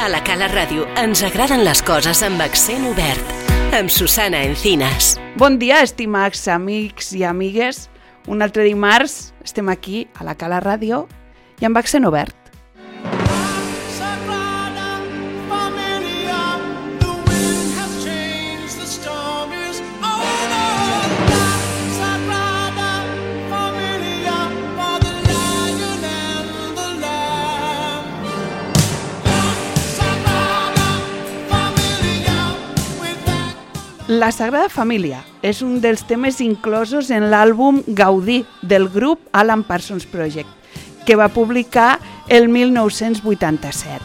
A la Cala Ràdio ens agraden les coses amb accent obert. Amb Susana Encinas. Bon dia, estimats amics i amigues. Un altre dimarts estem aquí a la Cala Ràdio i amb accent obert. La Sagrada Família és un dels temes inclosos en l'àlbum Gaudí del grup Alan Parsons Project, que va publicar el 1987.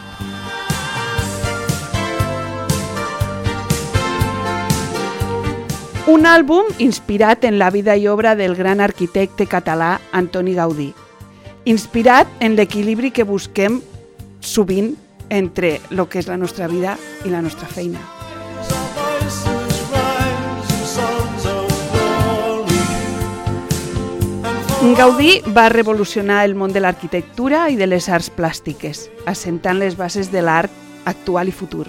Un àlbum inspirat en la vida i obra del gran arquitecte català Antoni Gaudí, inspirat en l'equilibri que busquem sovint entre el que és la nostra vida i la nostra feina. Gaudí va revolucionar el món de l'arquitectura i de les arts plàstiques, assentant les bases de l'art actual i futur.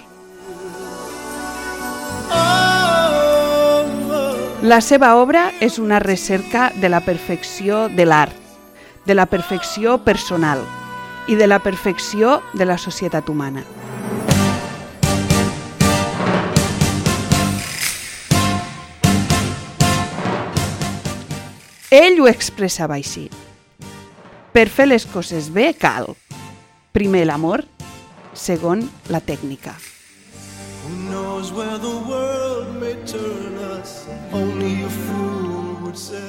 La seva obra és una recerca de la perfecció de l'art, de la perfecció personal i de la perfecció de la societat humana. Ell ho expressava així. Per fer les coses bé cal, primer l'amor, segon la tècnica.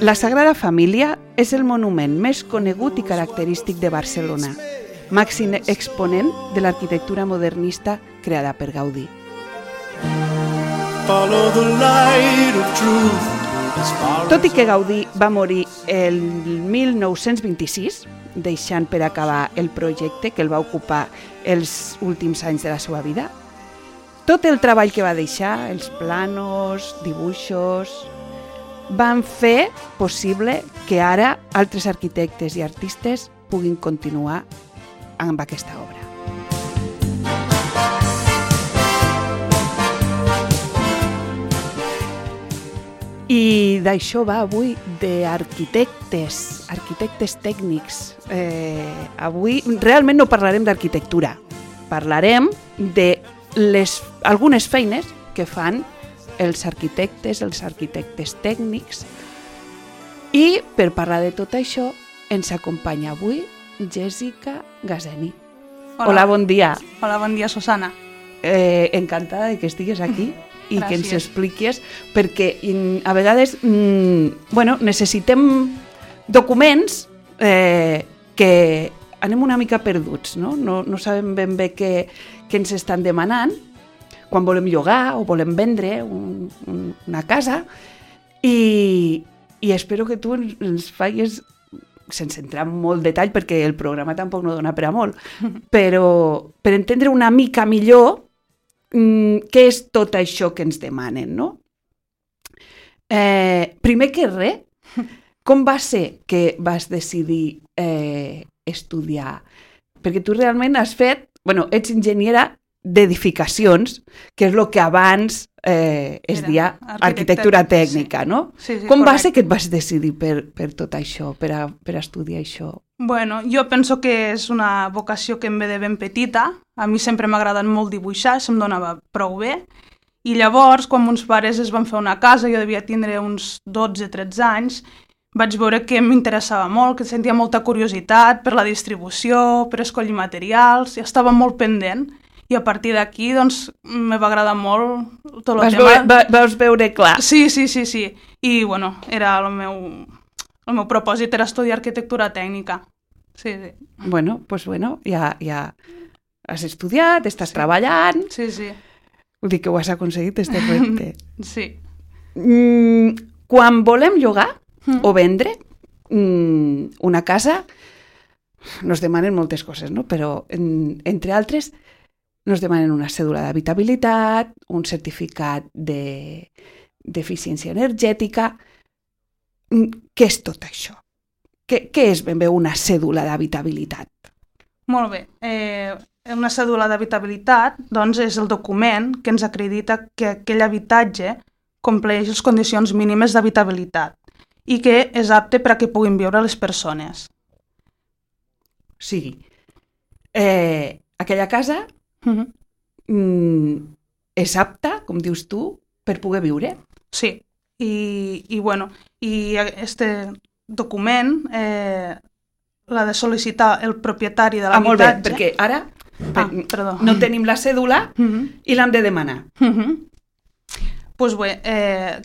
La Sagrada Família és el monument més conegut i característic de Barcelona, màxim exponent de l'arquitectura modernista creada per Gaudí. Follow the light of truth. Tot i que Gaudí va morir el 1926, deixant per acabar el projecte que el va ocupar els últims anys de la seva vida, tot el treball que va deixar, els planos, dibuixos, van fer possible que ara altres arquitectes i artistes puguin continuar amb aquesta obra. I d'això va avui, d'arquitectes, arquitectes tècnics. Avui realment no parlarem d'arquitectura, parlarem d'algunes feines que fan els arquitectes tècnics. I per parlar de tot això ens acompanya avui Jessica Gazeni. Hola, bon dia. Hola, bon dia, Susana. Encantada de que estigues aquí. I gràcies. Que ens expliques, perquè a vegades necessitem documents que anem una mica perduts, no? No sabem ben bé què ens estan demanant quan volem llogar o volem vendre una casa i espero que tu ens facis, sense entrar en molt detall perquè el programa tampoc no dona per a molt, però per entendre una mica millor què és tot això que ens demanen, no? Primer que res, com va ser que vas decidir estudiar? Perquè tu realment has fet, ets enginyera d'edificacions, que és el que abans es deia arquitectura tècnica, no? Sí, com va ser que et vas decidir per tot això, per estudiar això? Bueno, jo penso que és una vocació que em ve de ben petita. A mi sempre m'ha agradat molt dibuixar, se'm donava prou bé. I llavors, quan mons pares es van fer una casa, jo devia tindre uns 12-13 anys, vaig veure que m'interessava molt, que sentia molta curiositat per la distribució, per escollir materials, i estava molt pendent. I a partir d'aquí, doncs, me va agradar molt tot el tema. Vas veure clar. Sí. I, era el meu propòsit era estudiar arquitectura tècnica. Sí. Ja has estudiat, estàs treballant. Sí. Vull dir que ho has aconseguit, este repte. Sí. Quan volem llogar o vendre una casa, nos demanen moltes coses, no? Però, entre altres, nos demanen una cèdula d'habitabilitat, un certificat d'eficiència energètica. Què és tot això? Què és ben bé una cèdula d'habitabilitat? Molt bé. una cèdula d'habitabilitat doncs, és el document que ens acredita que aquell habitatge compleix les condicions mínimes d'habitabilitat i que és apte per a que puguin viure les persones. O sigui, aquella casa és apta, com dius tu, per poder viure? Sí, i este document l'ha de sol·licitar el propietari de l'habitatge. Molt bé, perquè ara no tenim la cèdula i l'hem de demanar. Doncs bé,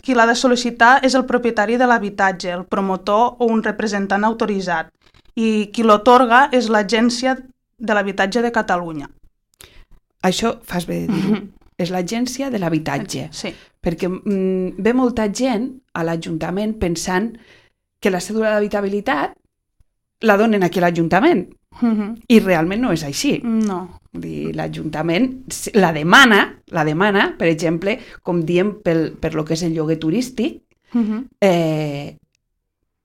qui l'ha de sol·licitar és el propietari de l'habitatge, el promotor o un representant autoritzat, i qui l'otorga és l'Agència de l'Habitatge de Catalunya. Això fas bé de dir-ho. És l'Agència de l'Habitatge. Sí. Perquè ve molta gent a l'Ajuntament pensant que la cèdula d'habitabilitat la donen aquí a l'Ajuntament. I realment no és així. No. L'Ajuntament la demana, per exemple, com diem per lo que és el lloguer turístic,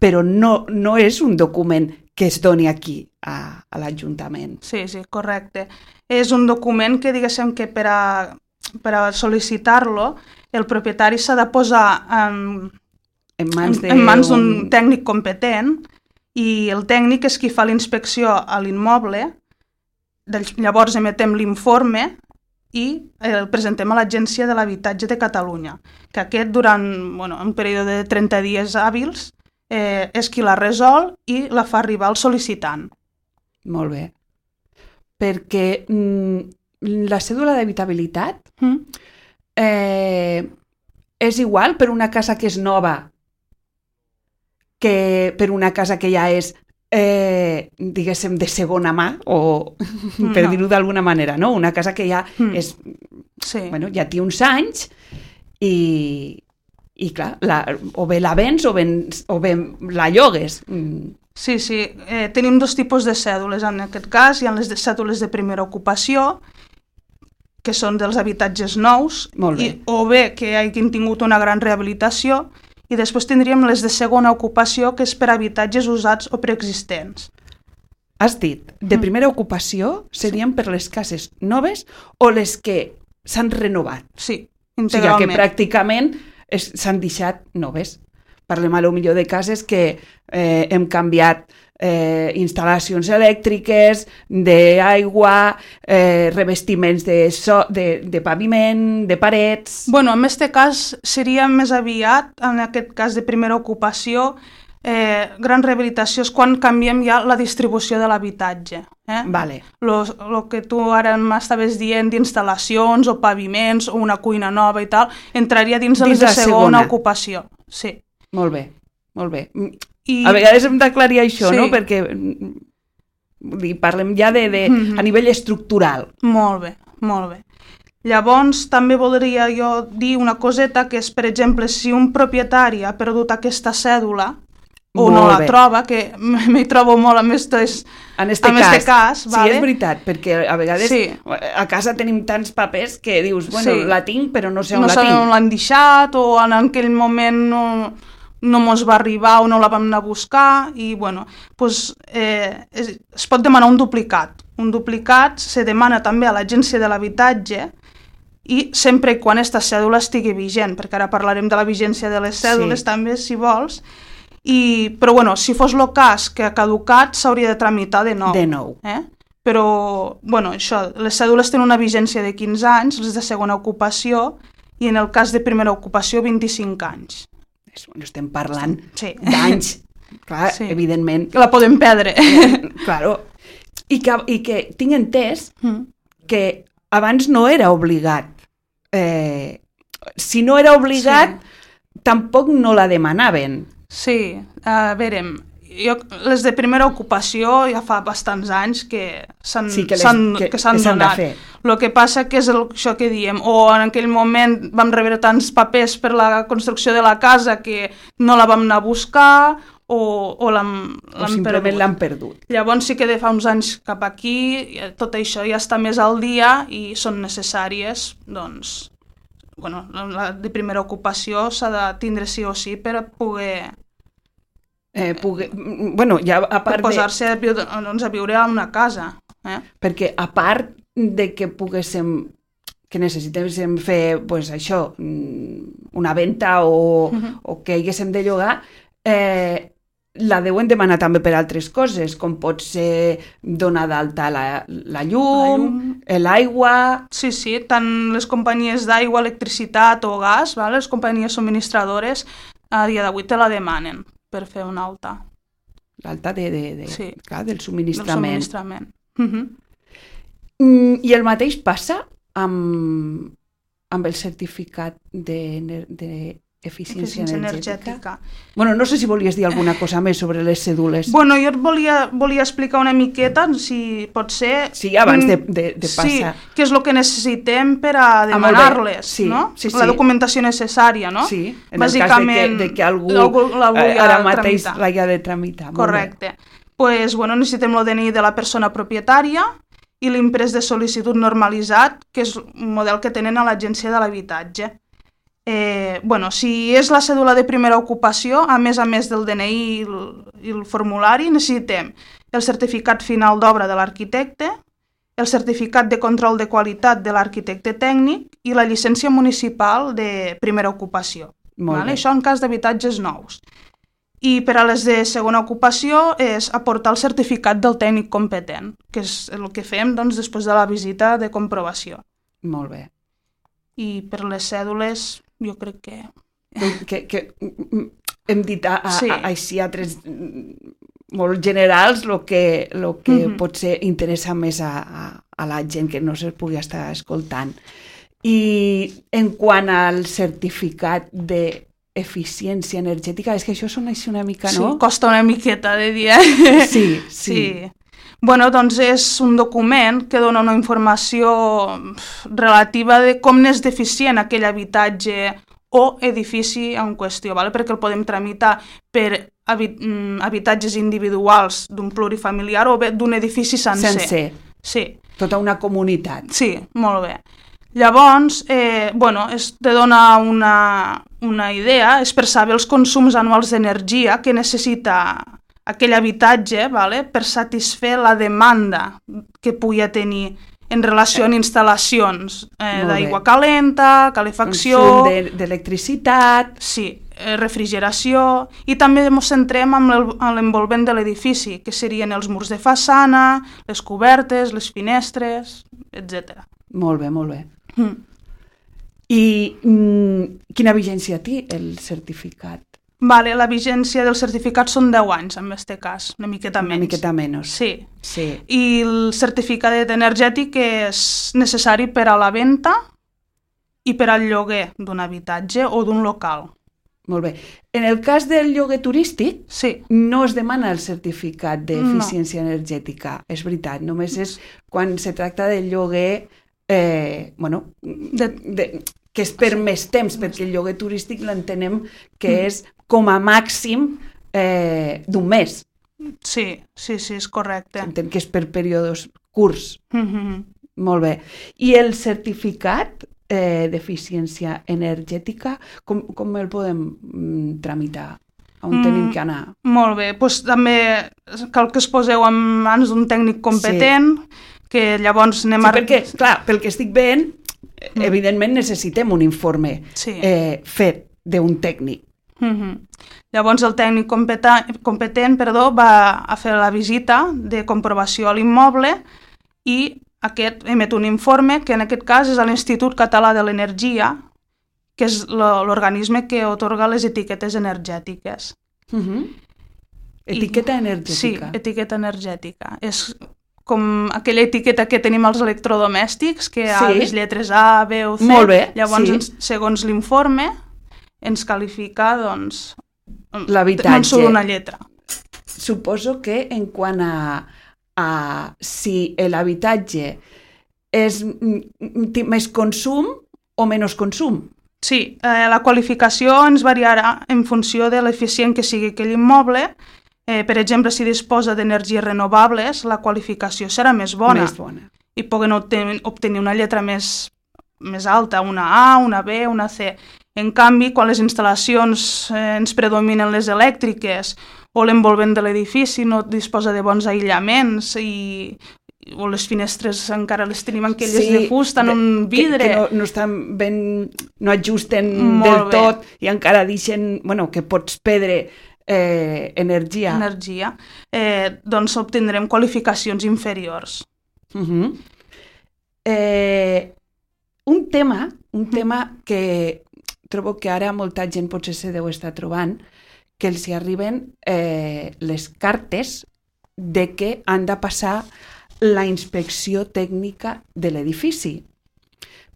però no és un document que es doni aquí a l'Ajuntament. Sí, correcte. És un document que, diguéssim, que per a sol·licitar-lo el propietari s'ha de posar en mans d'un tècnic competent i el tècnic és qui fa la inspecció a l'immoble, llavors emetem l'informe i el presentem a l'Agència de l'Habitatge de Catalunya, que aquest durant un període de 30 dies hàbils és qui la resol i la fa arribar al sol·licitant. Molt bé. Perquè la cèdula d'habitabilitat és igual per una casa que és nova que per una casa que ja és, diguéssim, de segona mà, o per dir-ho d'alguna manera, no? Una casa que ja és, ja té uns anys i clar, o bé la vens o bé la llogues. Sí, tenim dos tipus de cèdules en aquest cas. Hi ha les cèdules de primera ocupació, que són dels habitatges nous, o bé que hagin tingut una gran rehabilitació, i després tindríem les de segona ocupació, que és per habitatges usats o preexistents. Has dit, de primera ocupació serien per les cases noves o les que s'han renovat? Sí, integralment. O sigui que pràcticament s'han deixat noves. Parlem a lo millor de cases que hem canviat instal·lacions elèctriques, d'aigua, revestiments de paviment, de parets... En aquest cas seria més aviat, en aquest cas de primera ocupació, gran rehabilitació és quan canviem ja la distribució de l'habitatge. Vale. Lo que tu ara m'estaves dient d'instal·lacions o paviments o una cuina nova i tal, entraria dins de les de segona ocupació. Sí. Molt bé, molt bé. A vegades hem d'aclarir això, no? Perquè parlem ja a nivell estructural. Molt bé, molt bé. Llavors, també voldria jo dir una coseta, que és, per exemple, si un propietari ha perdut aquesta cèdula o no la troba, que m'hi trobo molt en aquest cas. Sí, és veritat, perquè a vegades a casa tenim tants papers que dius, la tinc, però no sé on la tinc. No sé on l'han deixat, o en aquell moment no mos va arribar o no la vam anar a buscar, i es pot demanar un duplicat. Un duplicat se demana també a l'Agència de l'Habitatge, i sempre i quan aquesta cèdula estigui vigent, perquè ara parlarem de la vigència de les cèdules també, si vols, però si fos el cas que ha caducat s'hauria de tramitar de nou. Però això, les cèdules tenen una vigència de 15 anys, les de segona ocupació, i en el cas de primera ocupació 25 anys. Estem parlant d'anys, clar, evidentment. Que la podem perdre. Claro. I que tinc entès que abans no era obligat. Si no era obligat, tampoc no la demanaven. Sí, a veure, les de primera ocupació ja fa bastants anys que s'han donat. El que passa que és això que diem, o en aquell moment vam rebre tants papers per la construcció de la casa que no la vam anar a buscar, o simplement l'han perdut. Llavors sí que de fa uns anys cap aquí tot això ja està més al dia i són necessàries, doncs, la de primera ocupació s'ha de tindre sí o sí per poder... ja a part per posar-se a viure a una casa. Perquè a part de que necessitéssim fer això, una venda o que haguéssim de llogar, la deuen demanar també per altres coses, com pot ser donar d'alta la llum, l'aigua... Sí, tant les companyies d'aigua, electricitat o gas, les companyies subministradores, a dia d'avui te la demanen per fer una alta. L'alta del subministrament. Del subministrament. I el mateix passa amb el certificat d'eficiència energètica. Bueno, no sé si volies dir alguna cosa més sobre les cèdules. Bueno, jo et volia explicar una miqueta, si pot ser... Sí, abans de passar. Sí, què és el que necessitem per a demanar-les, no? La documentació necessària, no? Sí, en el cas de que algú ara mateix l'hagi de tramitar. Correcte. Doncs, necessitem el DNI de la persona propietària i l'imprès de sol·licitud normalitzat, que és un model que tenen a l'Agència de l'Habitatge. Si és la cèdula de primera ocupació, a més del DNI i el formulari, necessitem el certificat final d'obra de l'arquitecte, el certificat de control de qualitat de l'arquitecte tècnic i la llicència municipal de primera ocupació. Això en cas d'habitatges nous. I per a les de segona ocupació és aportar el certificat del tècnic competent, que és el que fem després de la visita de comprovació. Molt bé. I per les cèdules, jo crec que hem dit així a tres molt generals el que potser interessa més a la gent que no se pugui estar escoltant. I en quant al certificat d'eficiència energètica, és que això sona així una mica, no? Sí, costa una miqueta de dir, Sí. Doncs és un document que dona una informació relativa de com n'és deficient aquell habitatge o edifici en qüestió, perquè el podem tramitar per habitatges individuals d'un plurifamiliar o bé d'un edifici sencer. Sí. Tota una comunitat. Sí, molt bé. Llavors, te dona una idea, és per saber els consums anuals d'energia que necessita aquell habitatge per satisfer la demanda que pugui tenir en relació amb instal·lacions d'aigua calenta, calefacció... Consum d'electricitat... Sí, refrigeració... I també ens centrem en l'envolvent de l'edifici, que serien els murs de façana, les cobertes, les finestres, etc. Molt bé. I quina vigència té el certificat? La vigència del certificat són 10 anys, en aquest cas, una miqueta menys. Una miqueta menys. Sí. I el certificat energètic és necessari per a la venda i per al lloguer d'un habitatge o d'un local. Molt bé. En el cas del lloguer turístic, no es demana el certificat d'eficiència energètica, és veritat, només és quan se tracta del lloguer, que és per més temps, perquè el lloguer turístic l'entenem que és com a màxim d'un mes. Sí, és correcte. Entenc que és per períodes curts. Molt bé. I el certificat d'eficiència energètica, com el podem tramitar? On tenim que anar? Molt bé, doncs també cal que es poseu en mans d'un tècnic competent, que llavors anem a... Sí, perquè, clar, pel que estic veient, evidentment necessitem un informe fet d'un tècnic. Llavors el tècnic competent va a fer la visita de comprovació a l'immoble i aquest emet un informe que en aquest cas és a l'Institut Català de l'Energia, que és l'organisme que atorga les etiquetes energètiques. Etiqueta energètica? Sí, etiqueta energètica. És com aquella etiqueta que tenim als electrodomèstics, que hi ha les lletres A, B o C. Molt bé, llavors, segons l'informe, ens qualifica, l'habitatge. No en surt una lletra. Suposo que en quant a si l'habitatge té més consum o menys consum. Sí, la qualificació ens variarà en funció de l'eficient que sigui aquell immoble. Per exemple, si disposa d'energies renovables, la qualificació serà més bona. I poden obtenir una lletra més alta, una A, una B, una C. En canvi, quan les instal·lacions ens predominen les elèctriques o l'envolvent de l'edifici no disposa de bons aïllaments i o les finestres encara les tenim aquelles de fusta, en un vidre. Que no estan ben, no ajusten del tot i encara deixen, que pots perdre energia. Doncs obtindrem qualificacions inferiors. Un tema que trobo que ara molta gent potser se deu estar trobant, que els hi arriben les cartes de que han de passar la inspecció tècnica de l'edifici,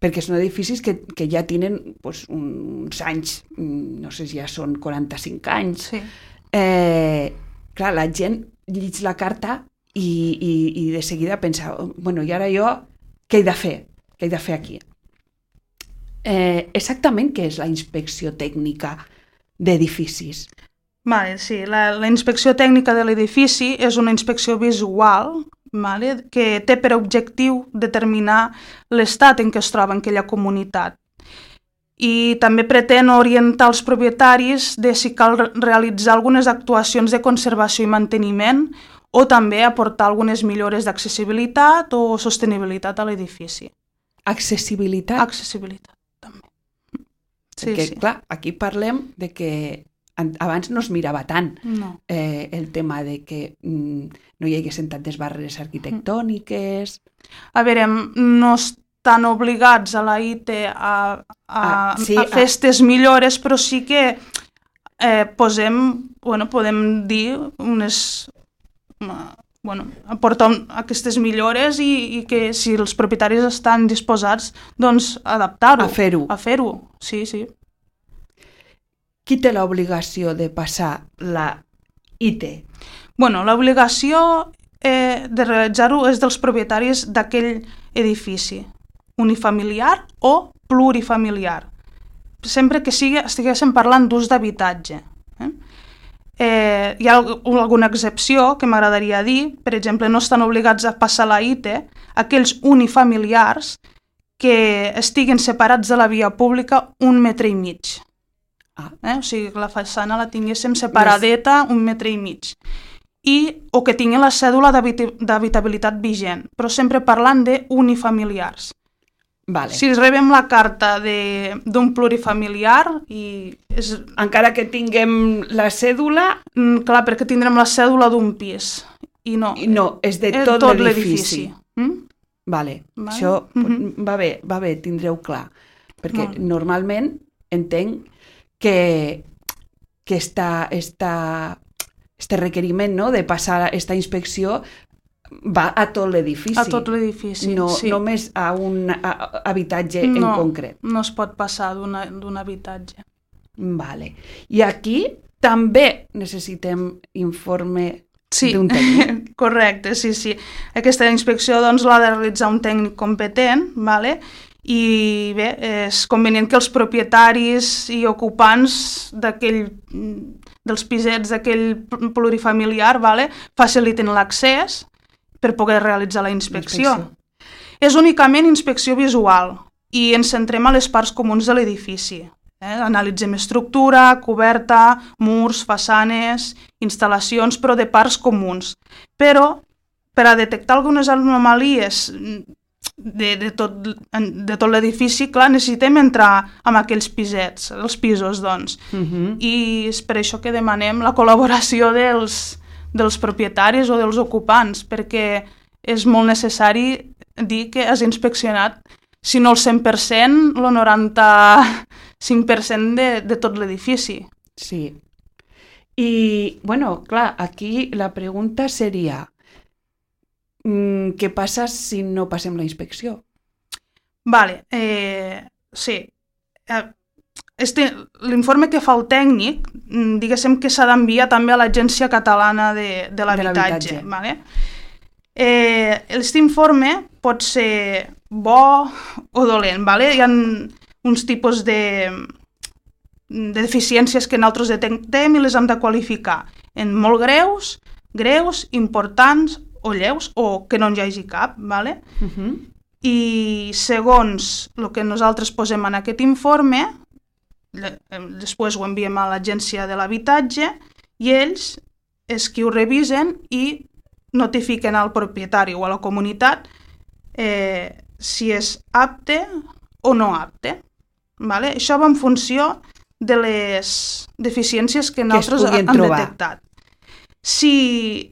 perquè són edificis que ja tenen uns anys, no sé si ja són 45 anys. Sí. Clar, la gent llig la carta i de seguida pensa, i ara jo què he de fer? Què he de fer aquí? Exactament què és la inspecció tècnica d'edificis? Sí, la inspecció tècnica de l'edifici és una inspecció visual que té per objectiu determinar l'estat en què es troba en aquella comunitat. I també pretén orientar els propietaris de si cal realitzar algunes actuacions de conservació i manteniment o també aportar algunes millores d'accessibilitat o sostenibilitat a l'edifici. Accessibilitat? Accessibilitat, també. Perquè, clar, aquí parlem de que abans no es mirava tant el tema de que no hi haguessin tantes barreres arquitectòniques. A veure, no estan obligats a la IT a fer aquestes millores, però sí que podem dir aportar aquestes millores i que si els propietaris estan disposats, doncs adaptar-ho. A fer-ho. Sí. Qui té l'obligació de passar la IT? L'obligació de realitzar-ho és dels propietaris d'aquell edifici, unifamiliar o plurifamiliar, sempre que estiguéssim parlant d'ús d'habitatge. Hi ha alguna excepció que m'agradaria dir, per exemple, no estan obligats a passar la IT aquells unifamiliars que estiguen separats de la via pública 1,5 metres. O sigui, que la façana la tinguéssim separadeta 1,5 metres. O que tinguin la cèdula d'habitabilitat vigent, però sempre parlant d'unifamiliars. Si rebem la carta d'un plurifamiliar encara que tinguem la cèdula... Clar, perquè tindrem la cèdula d'un pis. I no, és de tot l'edifici. Això va bé, tindreu clar. Perquè normalment entenc que este requeriment de passar aquesta inspecció va a tot l'edifici. A tot l'edifici, sí. Només a un habitatge en concret. No es pot passar d'un habitatge. I aquí també necessitem informe d'un tècnic. Correcte, sí. Aquesta inspecció l'ha de realitzar un tècnic competent, i bé, és convenient que els propietaris i ocupants dels pisets d'aquell plurifamiliar faciliten l'accés per poder realitzar la inspecció. És únicament inspecció visual i ens centrem a les parts comuns de l'edifici. Analitzem estructura, coberta, murs, façanes, instal·lacions, però de parts comuns. Però per a detectar algunes anomalies de tot l'edifici, clar, necessitem entrar en aquells pisets, els pisos, doncs. I és per això que demanem la col·laboració dels propietaris o dels ocupants, perquè és molt necessari dir que has inspeccionat, si no el 100%, el 95% de tot l'edifici. Sí. I, clar, aquí la pregunta seria... què passa si no passem la inspecció? Sí. L'informe que fa el tècnic, diguéssim que s'ha d'enviar també a l'Agència Catalana de l'Habitatge. Aquest informe pot ser bo o dolent. Hi ha uns tipus de deficiències que nosaltres detectem i les hem de qualificar en molt greus, importants o lleus, o que no hi hagi cap, I segons el que nosaltres posem en aquest informe, després ho enviem a l'Agència de l'Habitatge i ells és qui ho revisen i notifiquen al propietari o a la comunitat si és apte o no apte. Vale? Això va en funció de les deficiències que nosaltres hem detectat. Si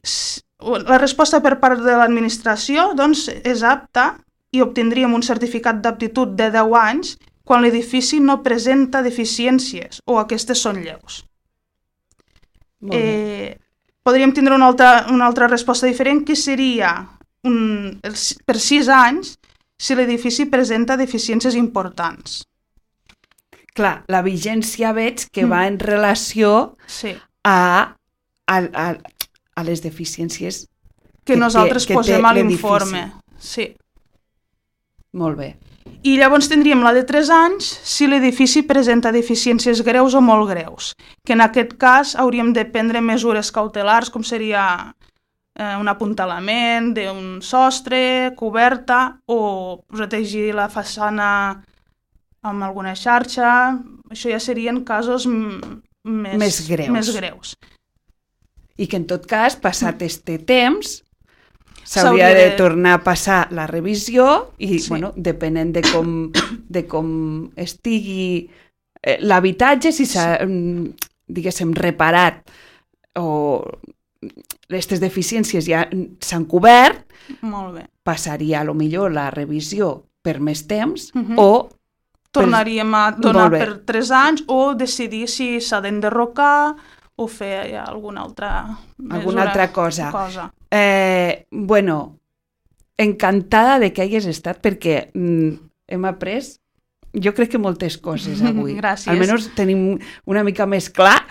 la resposta per part de l'administració doncs, és apta i obtindríem un certificat d'aptitud de 10 anys quan l'edifici no presenta deficiències o aquestes són lleus. Podríem tindre una altra resposta diferent, que seria per 6 anys si l'edifici presenta deficiències importants. Clar, la vigència veig que va en relació a les deficiències que nosaltres posem a l'informe. Sí. Molt bé. I llavors tindríem la de 3 anys si l'edifici presenta deficiències greus o molt greus, que en aquest cas hauríem de prendre mesures cautelars, com seria un apuntalament d'un sostre, coberta, o protegir la façana amb alguna xarxa. Això ja serien casos més greus. I que en tot cas, passat este temps, s'hauria de tornar a passar la revisió i, depenent de com estigui l'habitatge, si s'ha, diguéssim, reparat o aquestes deficiències ja s'han cobert, passaria a lo millor la revisió per més temps o tornaríem a donar per 3 anys o decidir si s'ha d'enderrocar o fer alguna altra cosa. Encantada de que hagis estat perquè hem après, jo crec que moltes coses avui. Gràcies. Almenys tenim una mica més clar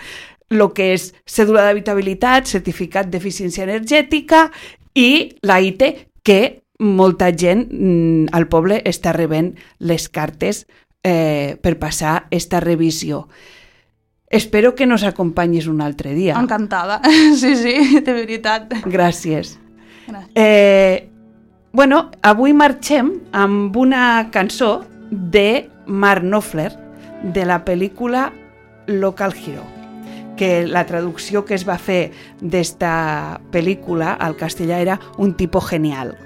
el que és cèdula d'habitabilitat, certificat d'eficiència energètica i la IT, que molta gent al poble està rebent les cartes per passar esta revisió. Espero que nos acompanyis un altre dia. Encantada, sí, de veritat. Gràcies. Avui marxem amb una cançó de Mark Knopfler, de la pel·lícula Local Hero, que la traducció que es va fer d'esta pel·lícula al castellà era Un tipo genial.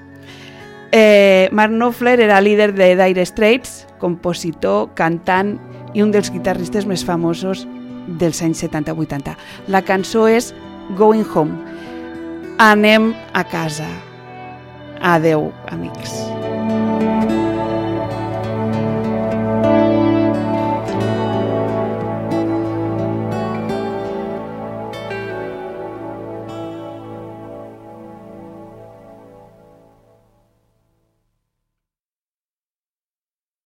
Mark Knopfler era líder de Dire Straits, compositor, cantant i un dels guitarristes més famosos dels anys 70-80. La cançó és Going Home. Anem a casa. Adeu, amics.